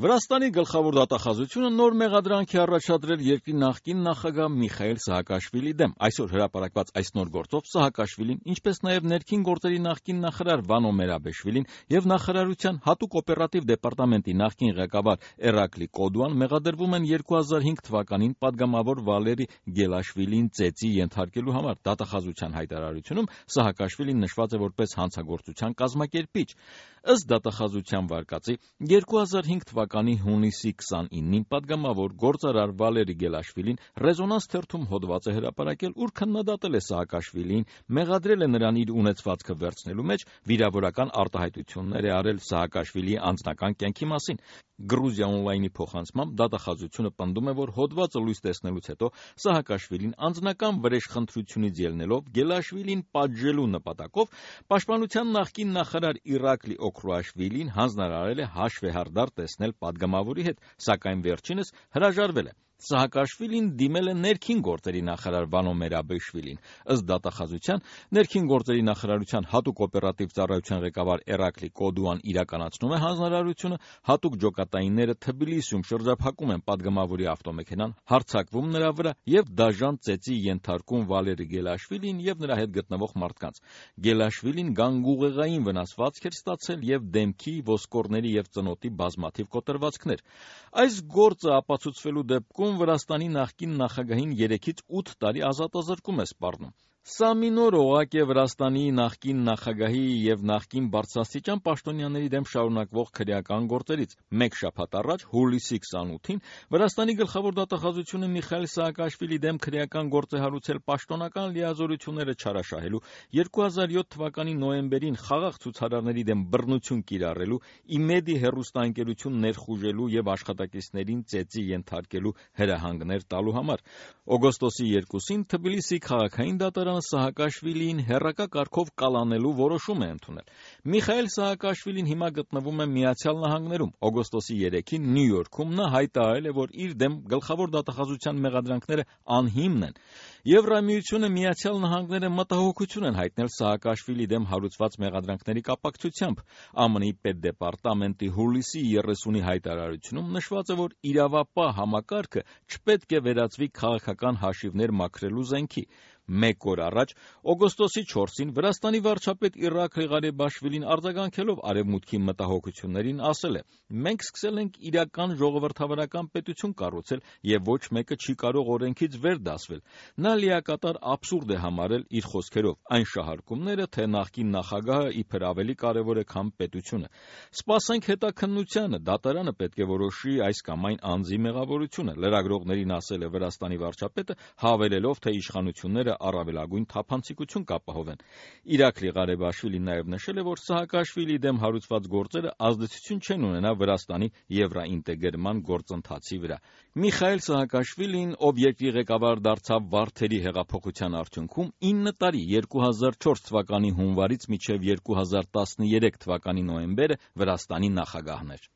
Վրաստանի գլխավոր դատախազությունը նոր մեղադրանք է առաջադրել երկրի նախկին նախագահ Միխայիլ Սահակաշվիլիի դեմ։ Այսօր հրապարակված այս նոր գործով Սահակաշվիլին, ինչպես նաև ներքին գործերի նախկին նախարար Վանո Մերաբեշվիլին եւ նախարարության հատուկ օպերատիվ դեպարտամենտի նախկին ղեկավար Էրակլի Կոդուան մեղադրվում են 2005 թվականին падգամավոր Վալերի Գելաշվիլիին ծեծի ենթարկելու համար։ Դատախազության հայտարարությունում Սահակաշվիլին նշված է որպես հանցագործության կազմակերպիչ։ Ըստ դատախազության վարկածի 2005 թվականի հունիսի 29-ին падգամավոր գործարար Վալերի Գելաշվիլին Ռեզոնանս թերթում հոդված է հրապարակել, ուր քննադատել է Սահակաշվիլիին, մեղադրել է նրան իր ունեցվածքը վերցնելու մեջ, վիրավորական արտահայտություններ է արել Սահակաշվիլիի անձնական կյանքի մասին։ Գրուզիա օնլայնի փոխանցմամբ դատախազությունը պնդում է, որ հոդվածը լույս տեսնելուց հետո Սահակաշվիլին անձնական վրեժխնդրությունից ելնելով Գելաշվիլին պատժելու նպատակով պաշտպանության նախկին նախարար Իրակլի Օքրուաշվիլին հանձնարարել է հաշվեհարդար տեսնել падգամավորի հետ, սակայն վերջինս հրաժարվել է։ Սահակաշվիլին դիմել է ներքին գործերի նախարար Վանո Մերաբեշվիլին։ Ըստ դատախազության, ներքին գործերի նախարարության հատուկ օպերատիվ ծառայության ղեկավար Էրակլի Կոդուան իրականացնում է հանձնարարությունը, հատուկ ջոկատայինները Թբիլիսիում շրջափակում են падգամավորի ավտոմեքենան, հարձակվում նրա վրա եւ դաժան ծեծի ենթարկում Վալերի Գելաշվիլին եւ նրա հետ գտնվող մարդկանց։ Գելաշվիլին գանգուղեղային վնասվածք էր ստացել եւ դեմքի, ոսկորների եւ ծնոտի բազմաթիվ կոտրվածքներ։ Այս գործը ապացուցվելու դեպքում Վրաստանի նախկին նախագահին 3-ից 8 տարի ազատազրկում է սպառնում։ Սա մի նոր օղակ է Վրաստանի նախկին նախագահի եւ նախկին բարձրաստիճան պաշտոնյաների դեմ շարունակվող քրեական գործերից։ Մեկ շաբաթ առաջ, հուլիսի 28-ին, Վրաստանի գլխավոր դատախազությունը Միխայիլ Սահակաշվիլիի դեմ քրեական գործ է հարուցել պաշտոնական լիազորությունները չարաշահելու, 2007 թվականի նոյեմբերին խաղաղ ցուցարարների դեմ բռնություն կիրառելու, Իմեդի հեռուստաընկերություն ներխուժելու եւ աշխատակիցներին ծեծի ենթարկելու հրահանգներ տալու համար։ Օգոստոսի 2-ին Թբիլիսի քաղաքային դատարանը Սահակաշվիլիին հեռակա կարգով կալանելու որոշում է ընդունել։ Միխայիլ Սահակաշվիլին հիմա գտնվում է Միացյալ Նահանգներում։ Օգոստոսի 3-ին Նյու Յորքում նա հայտարարել է, որ իր դեմ գլխավոր դատախազության մեղադրանքները անհիմն են։ Եվրամիությունը, Միացյալ Նահանգները մտահոգություն են հայտնել Սահակաշվիլիի դեմ հարուցված մեղադրանքների կապակցությամբ։ ԱՄՆ-ի պետդեպարտամենտի հուլիսի 30-ի հայտարարությունում նշված է, որ իրավապահ համակարգը չպետք է վերածվի քաղաքական հաշիվներ մաքրելու զենքի։ Մեկ օր առաջ, օգոստոսի 4-ին, Վրաստանի վարչապետ Իրակլի Ղարեբաշվիլին արձագանքելով արևմուտքի մտահոգություններին ասել է. «Մենք սկսել ենք իրական ժողովրդավարական պետություն կառուցել եւ ոչ մեկը չի կարող օրենքից վեր դասվել»։ Նա լիակատար աբսուրդ է համարել իր խոսքերով այն շահարկումները, թե նախկին նախագահը իբր ավելի կարևոր է, քան պետությունը։ Սպասենք հետաքննությանը, դատարանը պետք է որոշի այս կամ այն անձի մեղավորությունը, լրագրողներին ասել է Վրաստանի վարչապետը, հավելելով, թե իշխանությունները առավելագույն թափանցիկություն կապահովեն։ Իրակլի Ղարեբաշվիլին նաև նշել է, որ Սահակաշվիլիի դեմ հարուցված գործերը ազդեցություն չեն ունենա Վրաստանի եվրաինտեգրման գործընթացի վրա։ Միխայիլ Սահակաշվիլին, ով երկրի ղեկավար դարձավ Վարդերի հեղափոխության արդյունքում, 9 տարի 2004 թվականի հունվարից մինչև 2013 թվականի նոյեմբերը Վրաստանի նախագահն էր։